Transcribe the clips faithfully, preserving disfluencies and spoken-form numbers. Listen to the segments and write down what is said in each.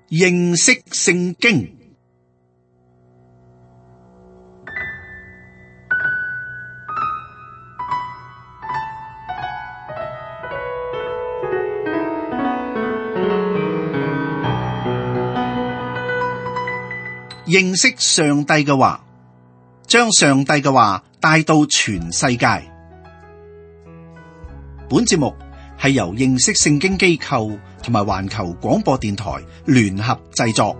認識聖經。認識上帝嘅話，將上帝嘅話帶到全世界。本節目係由認識聖經機構同埋環球廣播電台聯合製作。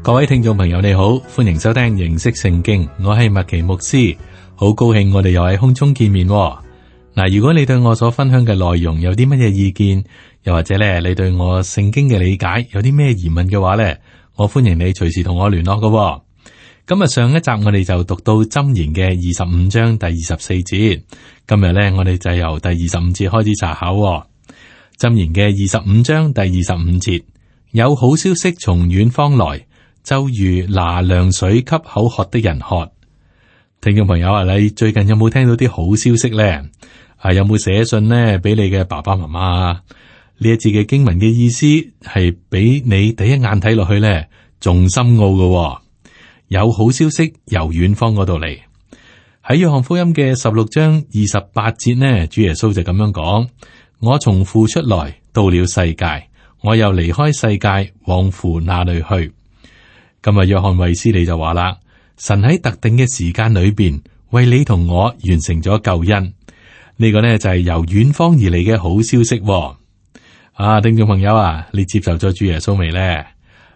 各位聽眾朋友，你好，歡迎收聽認識聖經，我係麥奇牧師，好高興我哋又喺空中見面。嗱，如果你對我所分享嘅內容有啲乜嘢意見，又或者咧你對我聖經嘅理解有啲咩疑問嘅話咧，我歡迎你隨時同我聯絡嘅。今日上一集我哋就讀到箴言嘅二十五章第二十四節，今日咧我哋就由第二十五節開始查考。箴言嘅二十五章第二十五節，有好消息從遠方來，就如拿涼水給口渴的人喝。聽眾朋友啊，你最近有冇聽到啲好消息咧？啊，有冇寫信呢俾你嘅爸爸媽媽啊？呢一節嘅經文嘅意思係俾你第一眼睇落去咧，仲深奧嘅。有好消息由遠方嗰度嚟。喺約翰福音嘅十六章二十八節呢，主耶穌就咁樣講：我從父出來，到了世界，我又離開世界，往父那裏去。今日約翰衛斯理就話啦，神喺特定嘅時間裏邊為你同我完成咗救恩。呢個呢就係由遠方而嚟嘅好消息。啊，聽眾朋友啊，你接受咗主耶穌未呢？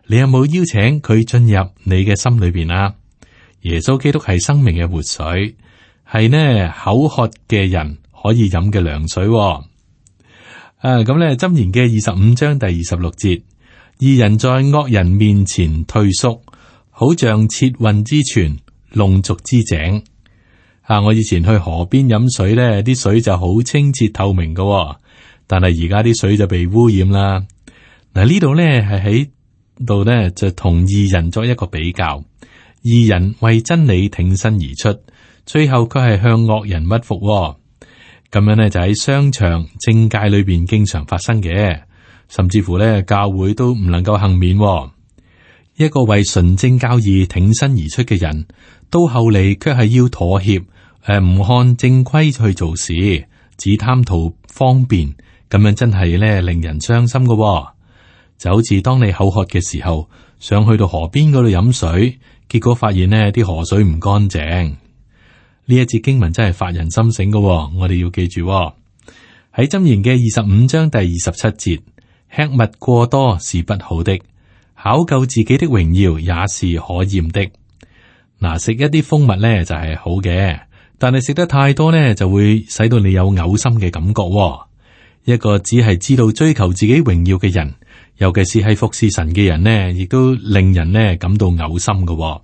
你有冇邀請佢進入你嘅心裏邊啊？耶穌基督係生命嘅活水，係呢口渴嘅人可以飲嘅涼水。啊，咁呢箴言嘅二十五章第二十六節，義人在惡人面前退縮，好像切運之泉，弄濁之井。啊，我以前去河邊飲水呢，啲水就好清澈透明嘅，但係而家啲水就被污染啦。嗱，呢度呢係喺度呢就同義人作一個比較，義人為真理挺身而出，最後佢係向惡人屈服。咁樣呢就喺商場政界裏邊經常發生嘅，甚至乎呢教會都唔能夠幸免。一個為純正教義挺身而出嘅人，到後嚟卻係要妥協，誒唔看正規去做事，只貪圖方便，咁樣真係咧令人傷心嘅。就好似當你口渴嘅時候，想去到河邊嗰度飲水，結果發現呢啲河水唔乾淨。呢一節經文真係發人心醒嘅，我哋要記住喺箴言嘅二十五章第二十七節，吃物過多是不好的，考究自己的榮耀也是可厭的。嗱，食一啲蜂蜜咧就係好嘅，但係食得太多咧就會使到你有嘔心嘅感覺。一個只係知道追求自己榮耀嘅人，尤其是係服侍神嘅人呢，亦都令人呢感到嘔心嘅。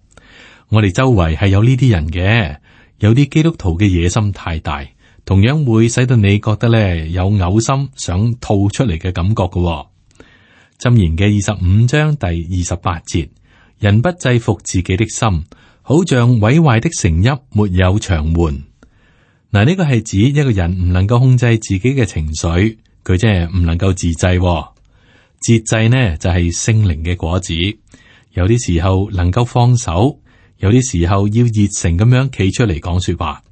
我哋周圍係有呢啲人嘅，有啲基督徒嘅野心太大，同樣會使到你覺得咧有嘔心想吐出嚟嘅感覺嘅。箴言嘅二十五章第二十八節，人不制服自己的心，好像毀壞的城邑沒有牆垣。嗱，呢個係指一個人唔能夠控制自己嘅情緒，佢即係唔能夠自制。節制呢就係聖靈嘅果子，有啲時候能夠放手，有啲時候要熱誠咁樣企出嚟講說話，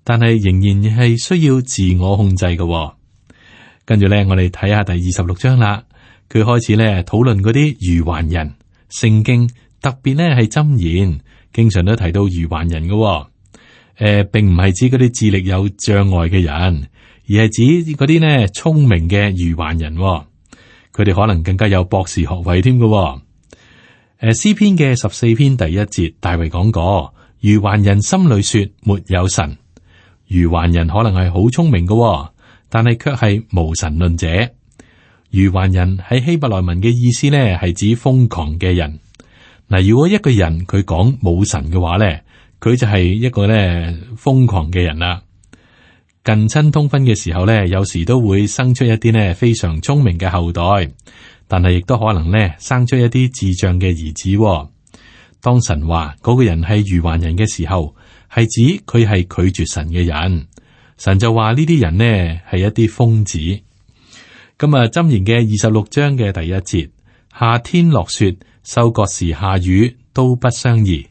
但係仍然係需要自我控制嘅。跟住咧，我哋睇下第二十六章啦。佢開始咧討論嗰啲愚頑人，聖經特別咧係箴言，經常都提到愚頑人嘅。誒、呃，並唔係指嗰啲智力有障礙嘅人，而係指嗰啲呢聰明嘅愚頑人。佢哋可能更加有博士學位添嘅。誒，詩篇嘅十四篇第一節，大衛講過，愚頑人心裏說沒有神。愚頑人可能係好聰明嘅，但係卻係無神論者。愚頑人喺希伯來文嘅意思咧，係指瘋狂嘅人。嗱，如果一個人佢講冇神嘅話咧，佢就係一個咧瘋狂嘅人啦。近親通婚嘅時候咧，有時都會生出一啲咧非常聰明嘅後代，但係亦都可能咧生出一啲智障嘅兒子。當神話嗰個人係愚頑人嘅時候，係指佢係拒絕神嘅人。神就話呢啲人呢係一啲瘋子。咁啊，箴言嘅二十六章嘅第一節，夏天落雪，收割時下雨，都不相宜。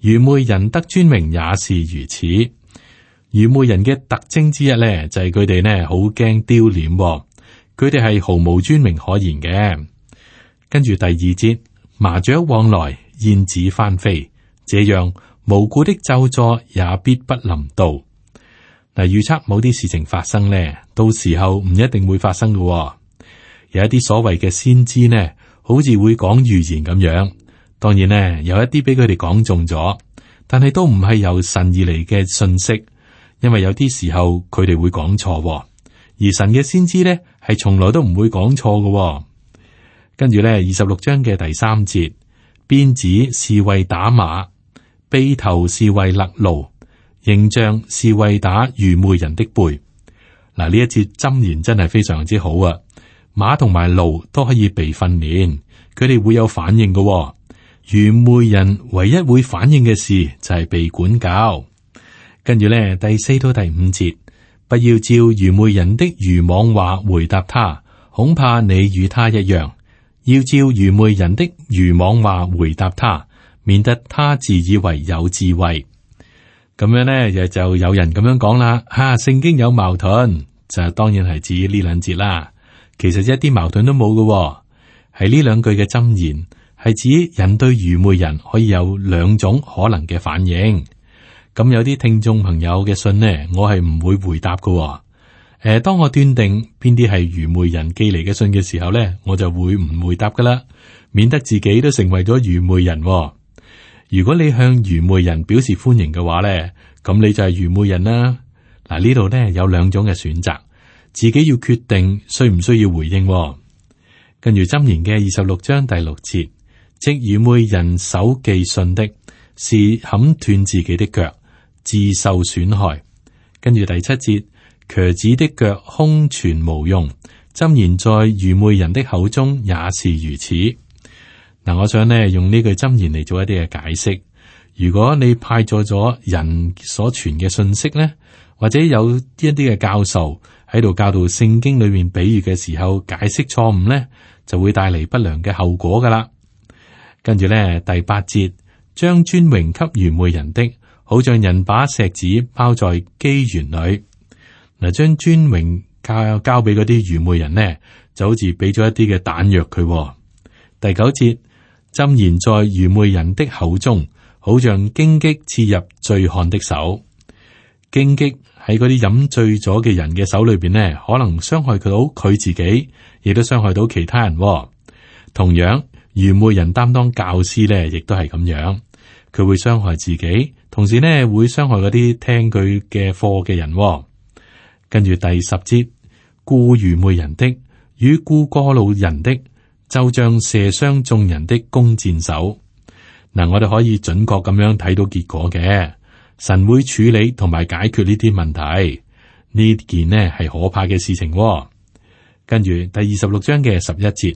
愚昧人得尊榮也是如此。愚昧人嘅特徵之一咧，就係佢哋呢好驚丟臉，佢哋係毫無尊榮可言嘅。跟住第二節，麻雀往來，燕子翻飛，這樣無故的咒詛也必不臨到。嗱，預測某啲事情發生呢，到時候唔一定會發生嘅。有一啲所謂嘅先知呢，好似會講預言咁樣。當然呢，有一啲俾佢哋講中咗，但係都唔係由神而嚟嘅信息，因為有啲時候佢哋會講錯，而神嘅先知呢係從來都唔會講錯嘅。跟住呢，二十六章嘅第三節，鞭子是為打馬，轡頭是為勒驢，刑杖是為打愚昧人的背。嗱，呢一節箴言真係非常之好啊！馬同埋驢都可以被訓練，佢哋會有反應嘅。愚昧人唯一會反應嘅事就係被管教。跟住咧，第四到第五節，不要照愚昧人的愚妄話回答他，恐怕你與他一樣。要照愚昧人的愚妄話回答他，免得他自以為有智慧。咁樣咧，又就有人咁樣講啦，吓、啊、聖經有矛盾，就當然係指呢兩節啦。其實一啲矛盾都冇嘅，係呢兩句嘅箴言係指人對愚昧人可以有兩種可能嘅反應。咁有啲聽眾朋友嘅信呢，我係唔會回答嘅。誒、呃，當我斷定邊啲係愚昧人寄嚟嘅信嘅時候呢，我就會唔回答噶啦，免得自己都成為咗愚昧人。如果你向愚昧人表示歡迎嘅話呢，咁你就係愚昧人啦。嗱，呢度呢有兩種嘅選擇。自己要決定需唔需要回應。跟住箴言嘅二十六章第六節，即愚昧人手寄信的，是砍斷自己的腳，自受損害。跟住第七節，瘸子的腳空存無用，箴言在愚昧人的口中也是如此。嗱，我想呢用呢句箴言嚟做一啲嘅解釋。如果你派錯咗人所傳嘅信息呢，或者有一啲嘅教授喺度教導聖經裏面比喻嘅時候解釋錯誤呢，就會帶嚟不良嘅後果噶啦。跟住咧，第八節，將尊榮給愚昧人的，好像人把石子包在機園裏。嗱，將尊榮交交俾嗰啲愚昧人呢，就好似俾咗一啲嘅彈藥佢。第九節，箴言在愚昧人的口中，好像荊棘刺入醉漢的手。荊棘喺嗰啲飲醉咗嘅人嘅手裏邊呢，可能傷害到佢自己，亦都傷害到其他人。同樣，愚昧人擔當教師呢，亦都係咁樣，佢會傷害自己，同時呢會傷害嗰啲聽佢嘅課嘅人。跟住第十節，雇愚昧人的與雇過路人的，就像射傷眾人的弓箭手。嗱，我哋可以準確咁樣睇到結果嘅。神會處理同埋解決呢啲問題，呢件呢係可怕嘅事情。跟住第二十六章嘅十一節，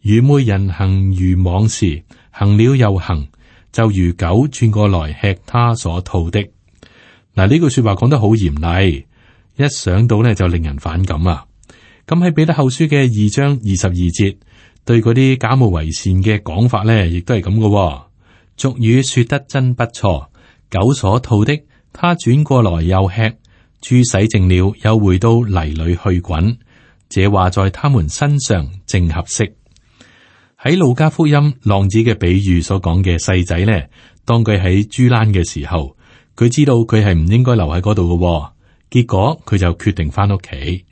愚昧人行愚妄事，行了又行，就如狗轉過來吃他所吐的。嗱，呢句說話講得好嚴厲，一想到呢就令人反感啊。咁喺彼得後書嘅二章二十二節，對嗰啲假冒為善嘅講法呢，亦都係咁嘅。俗語說得真不錯。狗所吐的，他轉過來又吃；豬洗淨了，又回到泥裏去滾。這話在他們身上正合適。喺路加福音浪子嘅比喻所講嘅細仔呢，當佢喺豬欄嘅時候，佢知道佢係唔應該留喺嗰度嘅，結果佢就決定翻屋企。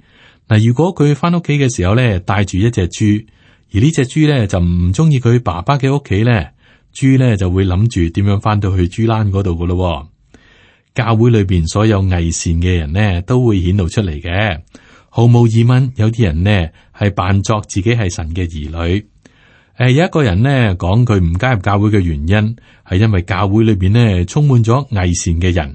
嗱，如果佢翻屋企嘅時候呢，帶住一隻豬，而呢隻豬呢就唔中意佢爸爸嘅屋企呢。豬咧就會諗住點樣翻到去豬欄嗰度噶咯。教會裏邊所有偽善嘅人呢，都會顯露出嚟嘅。毫無疑問，有啲人呢係扮作自己係神嘅兒女。誒、呃，有一個人呢講佢唔加入教會嘅原因係因為教會裏邊呢充滿咗偽善嘅人。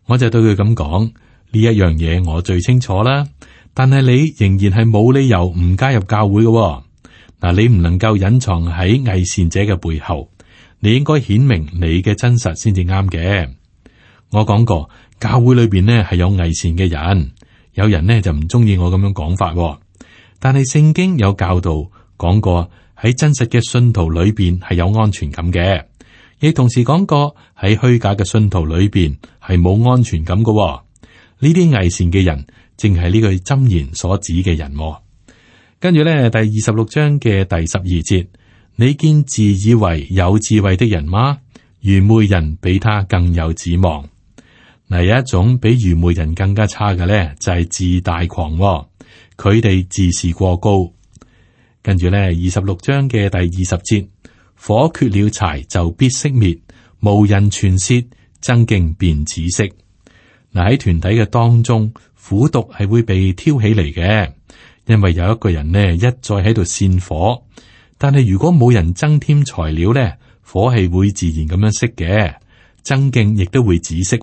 我就對佢咁講，呢一樣嘢我最清楚啦。但係你仍然係冇理由唔加入教會嘅。嗱，你唔能夠隱藏喺偽善者嘅背後。你應該顯明你嘅真實先至啱嘅。我講過，教會裏邊呢係有偽善嘅人，有人呢就唔中意我咁樣講法，但係聖經有教導講過，喺真實嘅信徒裏邊係有安全感嘅，亦同時講過喺虛假嘅信徒裏邊係冇安全感嘅。呢啲偽善嘅人，正係呢句箴言所指嘅人。跟住咧，第二十六章嘅第十二節，你見自以為有智慧的人嗎？愚昧人比他更有指望。嗱，有一種比愚昧人更加差嘅咧，就係自大狂。佢哋自視過高。跟住咧，二十六章嘅第二十節，火缺了柴就必熄滅，無人傳舌，爭競便止息。嗱，喺團體嘅當中，苦毒係會被挑起嚟嘅，因為有一個人呢一再喺度煽火，但係如果冇人增添材料咧，火係會自然咁樣熄嘅，爭競亦都會止息。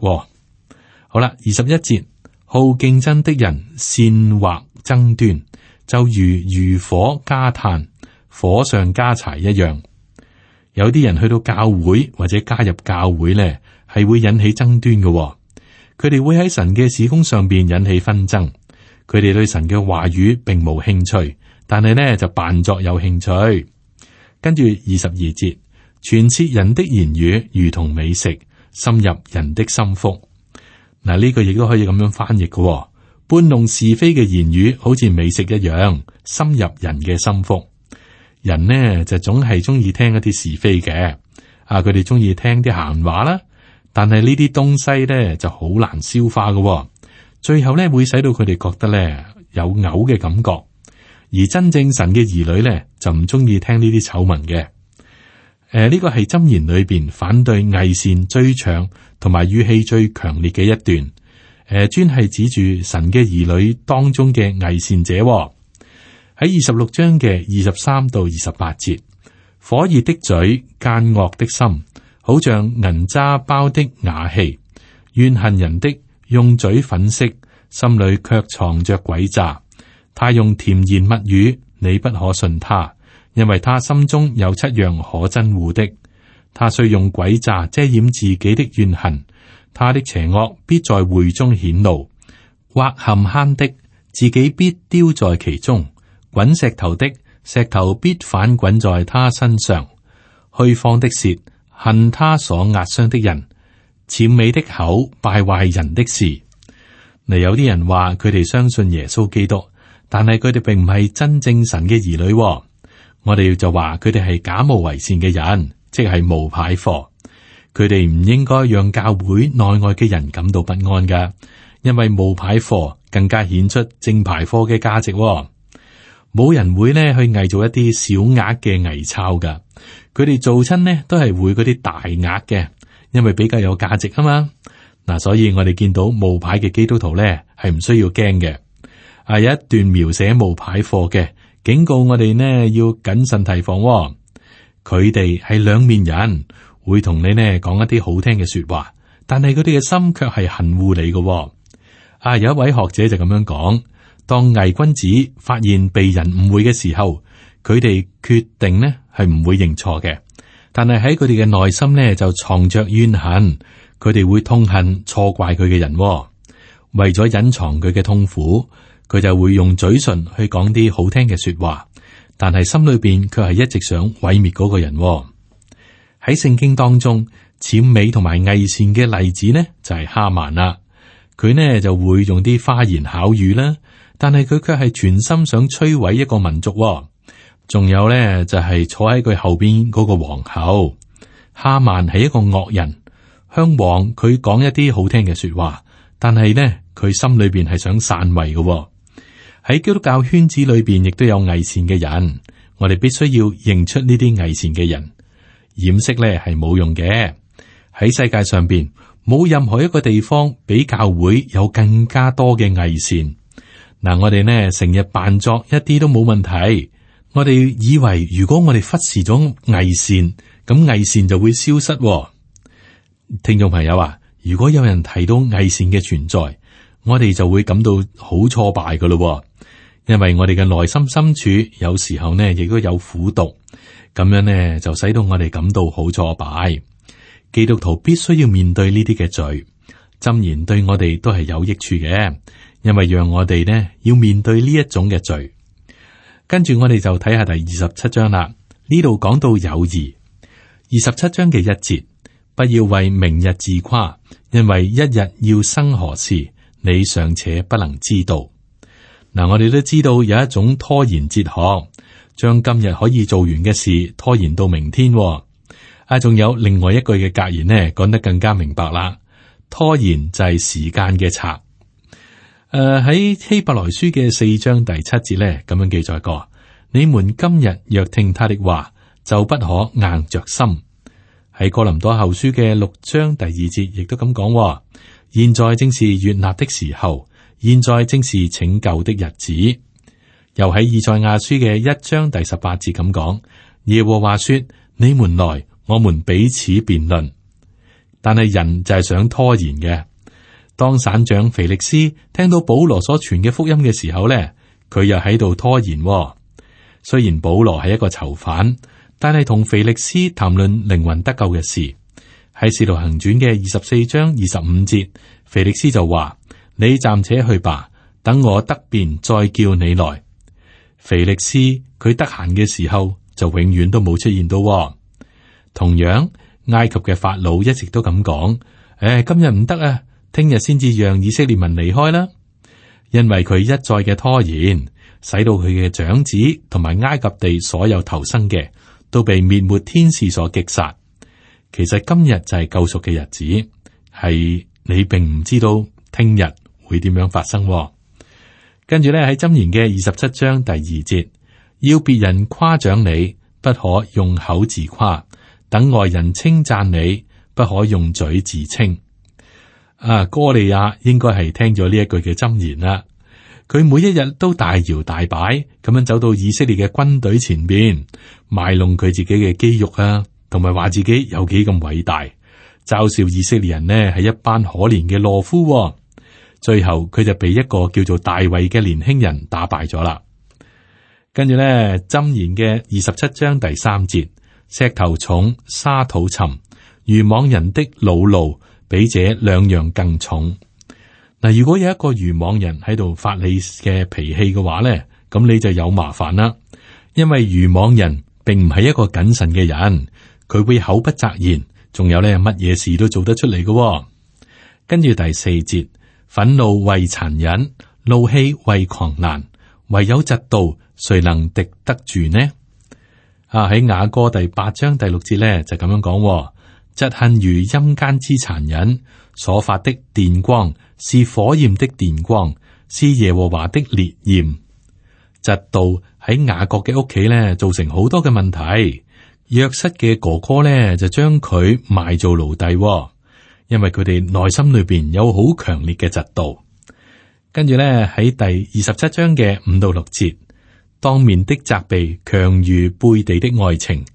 好啦，二十一節，好競爭的人煽惑爭端，就如餘火加炭，火上加柴一樣。有啲人去到教會或者加入教會咧，係會引起爭端嘅。佢哋會喺神嘅事工上邊引起紛爭，佢哋對神嘅話語並冇興趣，但係呢就扮作有興趣。跟住二十二節，傳舌人的言語如同美食，深入人的心腹。嗱，呢個亦都可以咁樣翻譯嘅，搬弄是非嘅言語好似美食一樣，深入人嘅心腹。人呢就總係中意聽一啲是非嘅，啊，佢哋中意聽啲閒話啦。但係呢啲東西咧就好難消化嘅，最後咧會使到佢哋覺得咧有嘔嘅感覺。而真正神嘅兒女咧就唔中意聽呢啲醜聞嘅。誒、呃，呢、這個係箴言裏邊反對偽善最長同埋語氣最強烈嘅一段。誒、呃，專係指住神嘅兒女當中嘅偽善者。喺二十六章嘅二十三到二十八節，火熱的嘴，奸惡的心，好像銀渣包的瓦器，怨恨人的用嘴粉飾，心裏卻藏着詭詐。他用甜言蜜語，你不可信他，因為他心中有七樣可憎惡的。他雖用詭詐遮掩自己的怨恨，他的邪惡必在會中顯露。挖陷坑的，自己必丟在其中；滾石頭的，石頭必反滾在他身上。虛謊的舌，恨他所壓傷的人；諂媚的口，敗壞人的事。嗱，有啲人話佢哋相信耶穌基督，但係佢哋並唔係真正神嘅兒女。我哋就話佢哋係假冒為善嘅人，即係冒牌貨。佢哋唔應該讓教會內外嘅人感到不安噶，因為冒牌貨更加顯出正牌貨嘅價值。冇人會呢去偽造一啲小額嘅偽鈔噶，佢哋做親呢都係會嗰啲大額嘅，因為比較有價值啊嘛。嗱，所以我哋見到冒牌嘅基督徒咧係唔需要驚嘅。啊，有一段描寫冒牌貨嘅，警告我哋呢要謹慎提防。佢哋係兩面人，會同你呢講一啲好聽嘅說話，但係佢哋嘅心卻係恨惡你嘅。啊，有一位學者就咁樣講。當偽君子發現被人誤會嘅時候，佢哋決定呢係唔會認錯嘅，但係喺佢哋嘅內心呢就藏着怨恨，佢哋會痛恨錯怪佢嘅人。為咗隱藏佢嘅痛苦，佢就會用嘴唇去講啲好聽嘅說話，但係心裏邊卻係一直想毀滅嗰個人。喺聖經當中，諂媚同埋偽善嘅例子呢就係哈曼啦，佢呢就會用啲花言巧語啦。但係佢卻係全心想摧毀一個民族。仲有咧就係、是、坐喺佢後邊嗰個皇后哈曼係一個惡人，向王佢講一啲好聽嘅說話，但係咧佢心裏邊係想篡位嘅。喺基督教圈子裏邊亦都有偽善嘅人，我哋必須要認出呢啲偽善嘅人，掩飾咧係冇用嘅。喺世界上邊冇任何一個地方比教會有更加多嘅偽善。嗱，我哋呢成日扮作一啲都冇問題，我哋以為如果我哋忽視咗偽善，咁偽善就會消失。聽眾朋友啊，如果有人提到偽善嘅存在，我哋就會感到好挫敗噶咯，因為我哋嘅內心深處有時候呢亦都有苦毒，咁樣呢就使到我哋感到好挫敗。基督徒必須要面對呢啲嘅罪，箴言對我哋都係有益處嘅，因為讓我哋呢要面對呢一種嘅罪。跟住我哋就睇下第二十七章啦，呢度講到友誼。二十七章嘅一節，不要為明日自誇，因為一日要生何事，你尚且不能知道。嗱，我哋都知道有一種拖延哲學，將今日可以做完嘅事拖延到明天。啊，仲有另外一句嘅格言呢，講得更加明白啦。拖延就係時間嘅賊。誒、呃，喺希伯來書嘅四章第七節呢，咁樣記載過：你們今日若聽他的話，就不可硬着心。喺哥林多後書嘅六章第二節，亦都咁講：現在正是悅納的時候。現在正是拯救的日子。又喺以賽亞書嘅一章第十八節咁講，耶和華說：你們來，我們彼此辯論。但係人就係想拖延嘅。當省長腓力斯聽到保羅所傳嘅福音嘅時候咧，佢又喺度拖延。雖然保羅係一個囚犯，但係同腓力斯談論靈魂得救嘅事。喺使徒行傳嘅二十四章二十五節，腓力斯就話：你暫且去吧，等我得便再叫你來。腓力斯佢得閒嘅時候就永遠都冇出現到。同樣，埃及嘅法老一直都咁講：誒、哎，今日唔得啊，聽日先至讓以色列民離開啦。因為佢一再嘅拖延，使到佢嘅長子同埋埃及地所有投生嘅都被滅沒天使所擊殺。其實今日就係救贖嘅日子，係你並唔知道聽日會點樣發生。跟住咧喺箴言嘅二十七章第二節，要別人誇獎你，不可用口自誇；等外人稱讚你，不可用嘴自稱。啊，哥利亞應該係聽咗呢一句嘅箴言啦。佢每一日都大搖大擺咁樣走到以色列嘅軍隊前邊，賣弄佢自己嘅肌肉啊，同埋話自己有幾咁偉大，嘲笑以色列人呢係一班可憐嘅懦夫。最後佢就被一個叫做大衛嘅年輕人打敗咗啦。跟住咧，箴言嘅二十七章第三節，石頭重，沙土沉，愚妄人的惱怒比這兩樣更重。嗱，如果有一個愚妄人喺度發你嘅脾氣嘅話咧，咁你就有麻煩啦。因為愚妄人並唔係一個謹慎嘅人，佢會口不擇言，仲有咧乜嘢事都做得出嚟嘅。跟住第四節。憤怒為殘忍，怒氣為狂瀾，唯有嫉妒，誰能敵得住呢？啊，喺雅歌第八章第六節咧就咁樣講：嫉恨如陰間之殘忍，所發的電光是火焰的電光，是耶和華的烈焰。嫉妒喺雅各嘅屋企咧造成好多嘅問題。約瑟嘅哥哥咧就將佢賣做奴隸。因為佢哋內心裏邊有好強烈嘅嫉妒。跟住咧喺第二十七章嘅五到六節，當面的責備強如背地的愛情，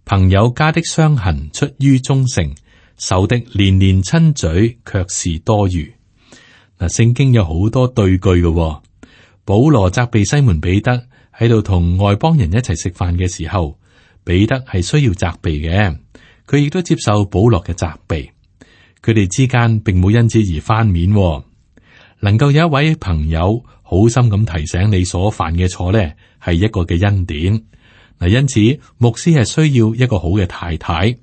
朋友家的傷痕出於忠誠，仇敵連連親嘴卻是多餘。嗱，聖經有好多對句嘅。保羅責備西門彼得喺度同外邦人一齊食飯嘅時候，彼得係需要責備嘅，佢亦都接受保羅嘅責備。佢哋之間並冇因此而翻面。能夠有一位朋友好心咁提醒你所犯嘅錯咧，係一個嘅恩典。嗱，因此牧師係需要一個好嘅太太，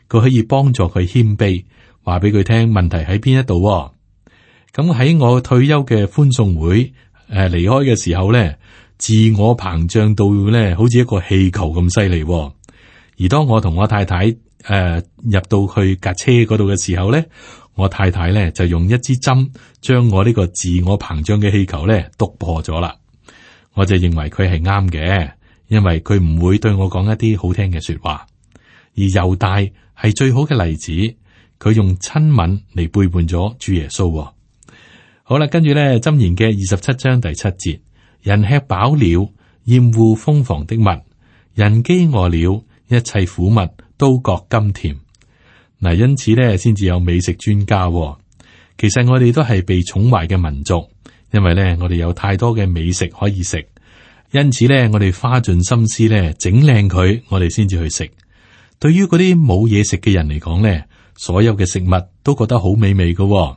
佢可以幫助佢謙卑，話俾佢聽問題喺邊一度。咁喺我退休嘅歡送會誒離開嘅時候咧，自我膨脹到咧好似一個氣球咁犀利。而當我同我太太誒、呃、入到去架車嗰度嘅時候咧，我太太咧就用一支針將我呢個自我膨脹嘅氣球咧篤破咗啦。我就認為佢係啱嘅，因為佢唔會對我講一啲好聽嘅說話。而猶大係最好嘅例子，佢用親吻嚟背叛咗主耶穌。好啦，跟住咧箴言嘅二十七章第七節，人吃飽了，厭惡蜂房的蜜；人飢餓了，一切苦物都覺甘甜。嗱，因此咧，先至有美食專家。其實我哋都係被寵壞嘅民族，因為咧，我哋有太多嘅美食可以食，因此咧，我哋花盡心思咧整靚佢，我哋先至去食。對於嗰啲冇嘢食嘅人嚟講咧，所有嘅食物都覺得好美味嘅喎。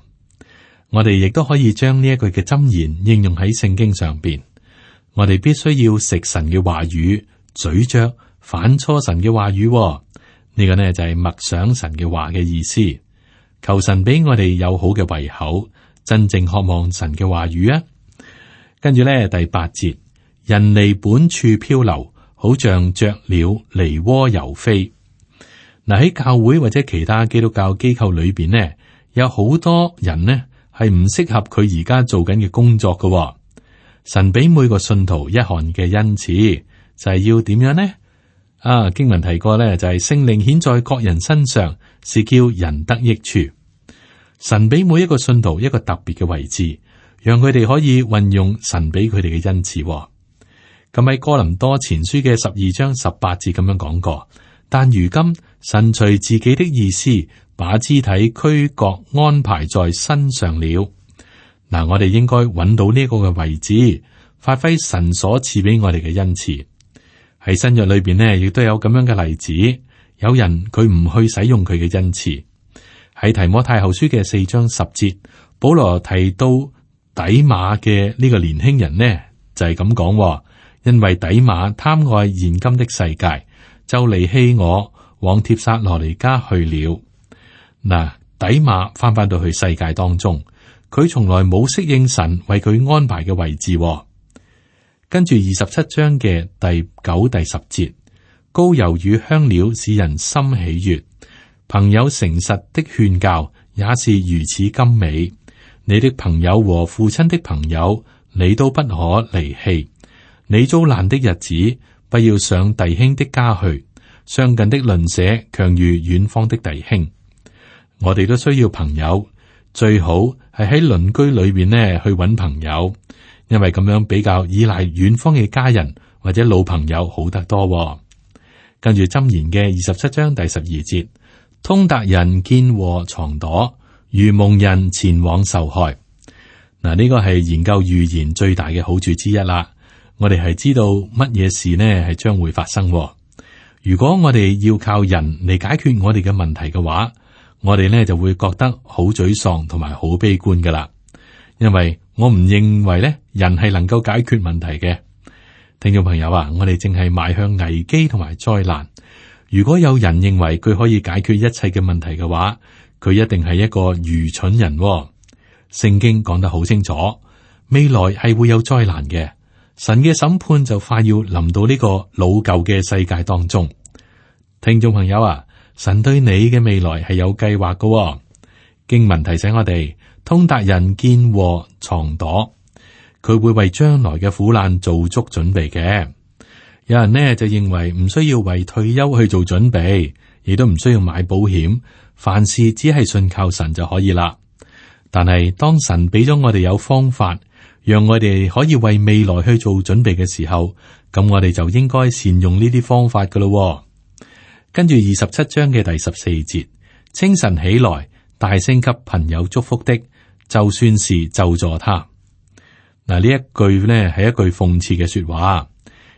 我哋亦都可以將呢一句嘅箴言應用喺聖經上邊。我哋必須要食神嘅話語，咀嚼反芻神嘅話語喎。呢個呢就係默想神嘅話嘅意思。求神俾我哋有好嘅胃口，真正渴望神嘅話語啊。跟住咧第八節，人離本處漂流，好像雀鳥離窩遊飛。嗱，喺教會或者其他基督教機構裏邊呢，有好多人呢係唔適合佢而家做緊嘅工作嘅喎。神俾每個信徒一項嘅恩賜，就係要點樣呢？啊，經文提過咧，就係聖靈顯在各人身上，是叫人得益處。神俾每一個信徒一個特別嘅位置，讓佢哋可以運用神俾佢哋嘅恩賜。咁喺哥林多前書嘅十二章十八節咁樣講過，但如今神隨自己的意思，把肢體俱各安排在身上了。嗱，我哋應該揾到呢個嘅位置，發揮神所賜俾我哋嘅恩賜。喺新約裏邊呢，亦都有咁樣嘅例子。有人佢唔去使用佢嘅恩賜。喺提摩太後書嘅四章十節，保羅提到底馬嘅呢個年輕人呢，就係咁講，因為底馬貪愛現今的世界，就離棄我，往帖撒羅尼迦去了。嗱，底馬翻返到去世界當中。佢從來冇適應神為佢安排嘅位置。跟住二十七章嘅第九、第十節，膏油與香料使人心喜悅，朋友誠實的勸教也是如此甘美。你的朋友和父親的朋友，你都不可離棄。你遭難的日子，不要上弟兄的家去，相近的鄰舍強如遠方的弟兄。我哋都需要朋友。最好係喺鄰居裏邊呢去揾朋友，因為咁樣比較依賴遠方嘅家人或者老朋友好得多。跟住箴言嘅二十七章第十二節，通達人見禍藏躲，愚蒙人前往受害。嗱，呢個係研究預言最大嘅好處之一啦。我哋係知道乜嘢事呢係將會發生。如果我哋要靠人嚟解決我哋嘅問題嘅話，我哋呢就會覺得好沮喪同埋好悲觀噶啦，因為我唔認為呢人係能夠解決問題嘅。聽眾朋友啊，我哋正係邁向危機同埋災難。如果有人認為佢可以解決一切嘅問題嘅話，佢一定係一個愚蠢人喎。聖經講得好清楚，未來係會有災難嘅，神嘅審判就快要臨到呢個老舊嘅世界當中。聽眾朋友啊，神對你嘅未來係有計劃嘅喎。經文提醒我哋，通達人見禍藏躲，佢會為將來嘅苦難做足準備嘅。有人呢就認為唔需要為退休去做準備，亦都唔需要買保險，凡事只係信靠神就可以啦。但係當神俾咗我哋有方法，讓我哋可以為未來去做準備嘅時候，咁我哋就應該善用呢啲方法噶咯。跟住二十七章嘅第十四節，清晨起來，大聲給朋友祝福的，就算是咒詛他。嗱，呢一句呢係一句諷刺嘅說話。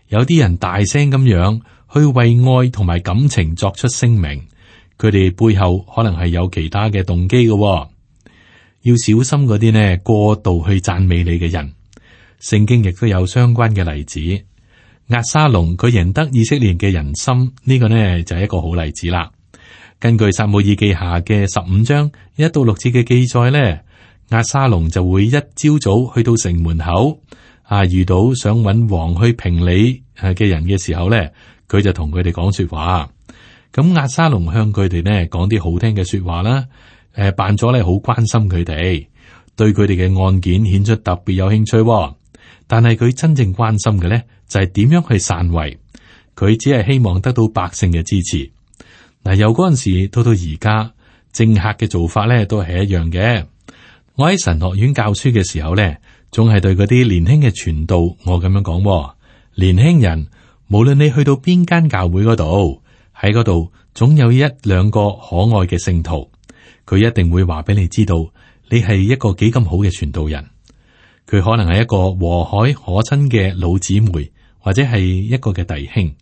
有啲人大聲咁樣去為愛同埋感情作出聲明，佢哋背後可能係有其他嘅動機嘅。要小心嗰啲呢過度去讚美你嘅人。聖經亦都有相關嘅例子。押沙龍佢贏得以色列嘅人心，呢個呢就係一個好例子啦。根據撒母耳記下嘅十五章一到六節嘅記載呢，押沙龍就會一朝早去到城門口啊，遇到想揾王去評理嘅人嘅時候呢，佢就同佢哋講說話。咁押沙龍向佢哋呢講啲好聽嘅說話啦，誒，扮咗咧好關心佢哋，對佢哋嘅案件顯出特別有興趣。但係佢真正關心嘅咧，就係點樣去篡位。佢只係希望得到百姓嘅支持。嗱，由嗰陣時到到而家，政客嘅做法咧都係一樣嘅。我喺神學院教書嘅時候咧，總係對嗰啲年輕嘅傳道，我咁樣講：年輕人，無論你去到邊間教會嗰度，喺嗰度總有一兩個可愛嘅聖徒，佢一定會話俾你知道，你係一個幾咁好嘅傳道人。佢可能係一個和藹可親嘅老姊妹，或者係一個嘅弟兄。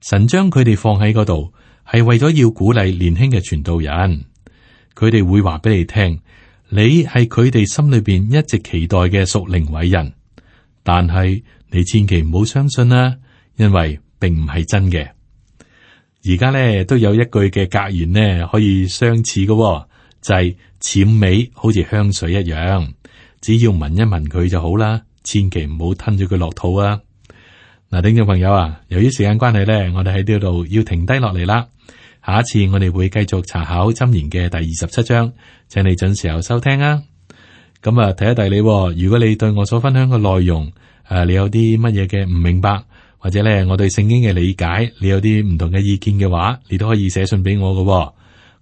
神將佢哋放喺嗰度，係為咗要鼓勵年輕嘅傳道人。佢哋會話俾你聽，你係佢哋心裏邊一直期待嘅屬靈偉人。但係你千祈唔好相信啦，因為並唔係真嘅。而家咧都有一句嘅格言呢，可以相似嘅、哦，就係、是、淺味好似香水一樣，只要聞一聞佢就好啦，千祈唔好吞咗佢落肚啊！嗱，聽眾朋友啊，由於時間關係咧，我哋喺呢度要停低落嚟啦。下一次我哋會繼續查考箴言嘅第二十七章，請你準時候收聽啊！咁啊，提一提你，如果你對我所分享嘅內容，誒，你有啲乜嘢嘅唔明白，或者咧我對聖經嘅理解，你有啲唔同嘅意見嘅話，你都可以寫信俾我嘅，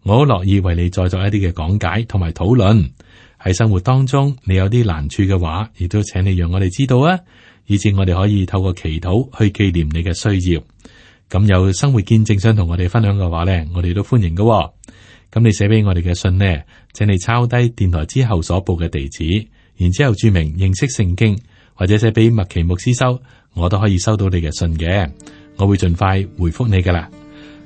我好樂意為你再作一啲嘅講解同埋討論。喺生活當中，你有啲難處嘅話，亦都請你讓我哋知道啊，以致我哋可以透過祈禱去紀念你嘅需要。咁有生活見證想同我哋分享嘅話咧，我哋都歡迎嘅。咁你寫俾我哋嘅信呢，請你抄低電台之後所報嘅地址，然之後注明認識聖經，或者寫俾麥奇牧師收，我都可以收到你嘅信嘅，我會盡快回覆你噶啦。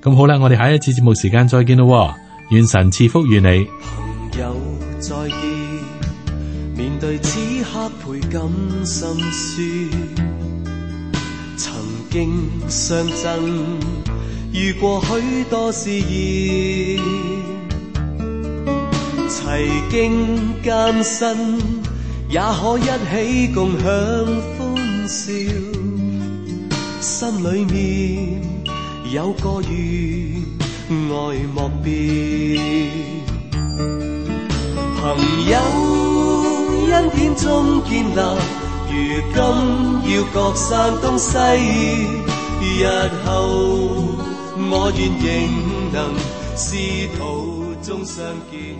咁好啦，我哋下一次節目時間再見咯，願神賜福與你。朋友再見，面對此刻倍感心酸，曾經相爭，遇過許多試驗，齊經艱辛，也可一起共享歡笑，心裏面有個願愛莫變。朋友恩典中建立，如今要各散東西，日後我願仍能仕途中相見。